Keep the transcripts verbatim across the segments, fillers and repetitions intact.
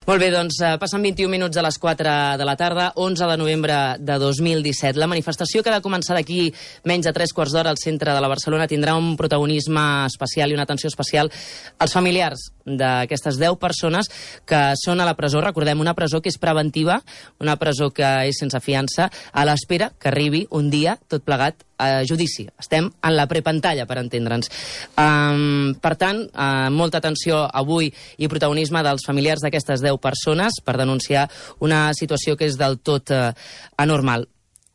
Molt bé, doncs passen vint-i-un minuts a les quatre de la tarda, onze de novembre de dos mil disset. La manifestació que ha de començar d'aquí menys de tres quarts d'hora al centre de la Barcelona tindrà un protagonisme especial i una atenció especial als familiars d'aquestes deu persones que són a la presó. Recordem, una presó que és preventiva, una presó que és sense fiança, a l'espera que arribi un dia, tot plegat, a judici. Estem en la prepantalla, per entendre'ns. Um, per tant, uh, molta atenció avui i protagonisme dels familiars d'aquestes deu persones per denunciar una situació que és del tot uh, anormal.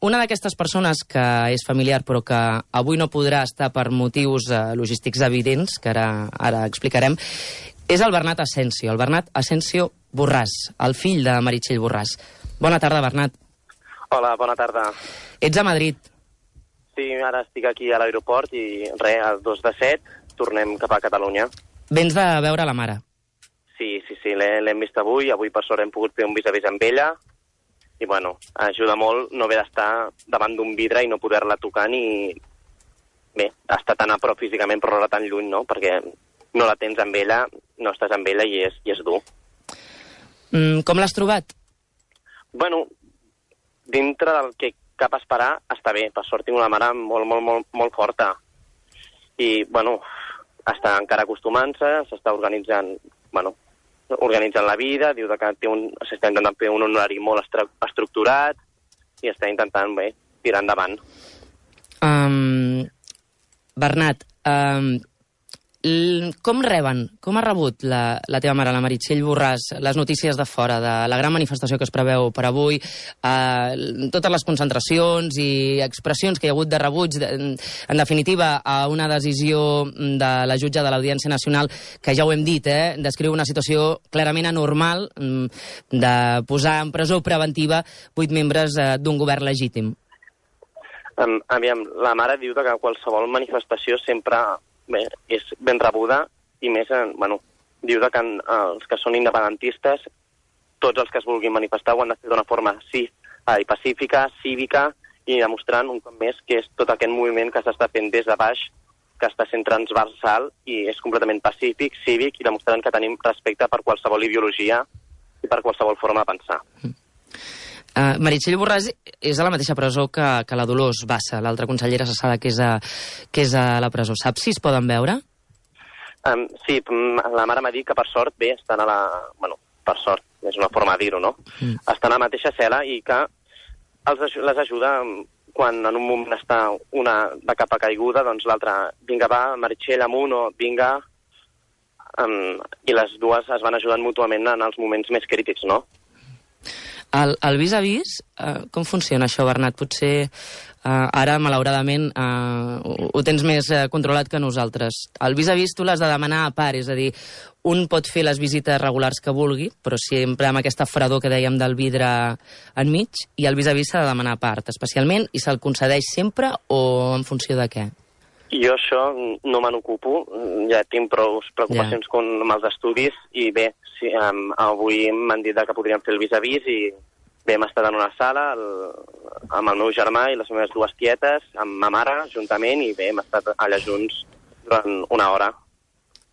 Una d'aquestes persones que és familiar però que avui no podrà estar per motius uh, logístics evidents, que ara, ara explicarem, és el Bernat Asensio, el Bernat Asensio Borràs, el fill de Meritxell Borràs. Bona tarda, Bernat. Hola, bona tarda. Ets a Madrid. Sí, ara estic aquí a l'aeroport i res, el dos de set tornem cap a Catalunya. Vens de veure la mare. Sí, sí, sí, l'hem vist avui. Avui, per sort, hem pogut fer un vis-a-vis amb ella. I, bueno, ajuda molt no haver d'estar davant d'un vidre i no poder-la tocar ni... Bé, estar tan a prop físicament però no tan lluny, no? Perquè no la tens amb ella, no estàs amb ella i és, i és dur. Mm, com l'has trobat? Bueno, dintre del que cap a esperar, està bé. Per sort tinc una mare molt, molt, molt, molt forta. I, bueno, està encara acostumant-se, s'està organitzant, bueno, organitzant la vida, diu que té un, s'està intentant fer un horari molt estructurat i està intentant, bé, tirar endavant. Um, Bernat, um, com reben, com ha rebut la, la teva mare, la Meritxell Borràs, les notícies de fora, de la gran manifestació que es preveu per avui, eh, totes les concentracions i expressions que hi ha hagut de rebuig, de, en definitiva, a una decisió de la jutge de l'Audiència Nacional, que ja ho hem dit, eh, descriu una situació clarament anormal de posar en presó preventiva vuit membres eh, d'un govern legítim? Um, aviam, la mare diu que qualsevol manifestació sempre... Bé, és ben rebuda i més, bueno, diu que en, els que són independentistes, tots els que es vulguin manifestar ho han de fer d'una forma sí, eh, pacífica, cívica i demostrant un cop més que és tot aquest moviment que s'està fent des de baix, que està sent transversal i és completament pacífic, cívic i demostrant que tenim respecte per qualsevol ideologia i per qualsevol forma de pensar. Mm. Uh, Meritxell Borràs és a la mateixa presó que, que la Dolors Bassa, l'altra consellera cessada que és, a, que és a la presó. Saps si es poden veure? Um, sí, la mare m'ha dit que per sort, bé, estan a la... Bueno, per sort, és una forma de dir-ho, no? Mm. Estan a la mateixa cel·la i que els, les ajuda quan en un moment està una de capa caiguda, doncs l'altra, vinga, va, Meritxell, amunt, o vinga... Um, I les dues es van ajudant mútuament en els moments més crítics, no? El, el vis-a-vis, uh, com funciona això, Bernat? Potser uh, ara, malauradament, uh, ho, ho tens més uh, controlat que nosaltres. El vis-a-vis tu l'has de demanar a part, és a dir, un pot fer les visites regulars que vulgui, però sempre amb aquesta fredor que dèiem del vidre enmig, i el vis-a-vis s'ha de demanar a part, especialment, i se'l concedeix sempre o en funció de què? Jo això no me n'ocupo, ja tinc prou preocupacions yeah. com amb els estudis i bé, sí, um, avui m'han dit que podríem fer el vis-a-vis i bé, hem estat en una sala el, amb el meu germà i les meves dues tietes, amb ma mare juntament i bé, hem estat allà junts durant una hora.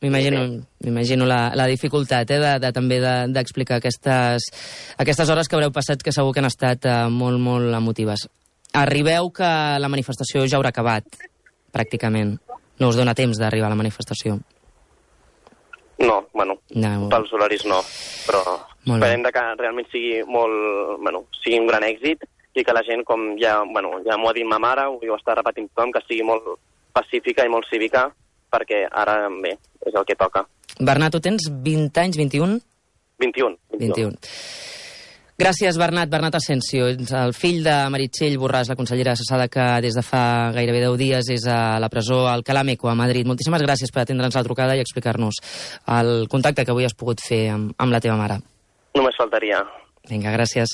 M'imagino, m'imagino la, la dificultat eh, de, de, també d'explicar de, aquestes, aquestes hores que haureu passat que segur que han estat eh, molt, molt emotives. Arribeu que la manifestació ja haurà acabat, pràcticament. No us dona temps d'arribar a la manifestació. No, bueno, no. Pels horaris no, però esperem que realment sigui molt, bueno, sigui un gran èxit i que la gent, com ja, bueno, ja m'ho ha dit ma mare, ho està repetint tothom, que sigui molt pacífica i molt cívica, perquè ara, bé, és el que toca. Bernat, tu tens vint anys, vint-i-un? vint-i-un. vint-i-un. Gràcies, Bernat. Bernat Asensio, el fill de Meritxell Borràs, la consellera cessada que des de fa gairebé deu dies és a la presó Alcalá Meco, a Madrid. Moltíssimes gràcies per atendre'ns la trucada i explicar-nos el contacte que avui has pogut fer amb, amb la teva mare. Només faltaria. Vinga, gràcies.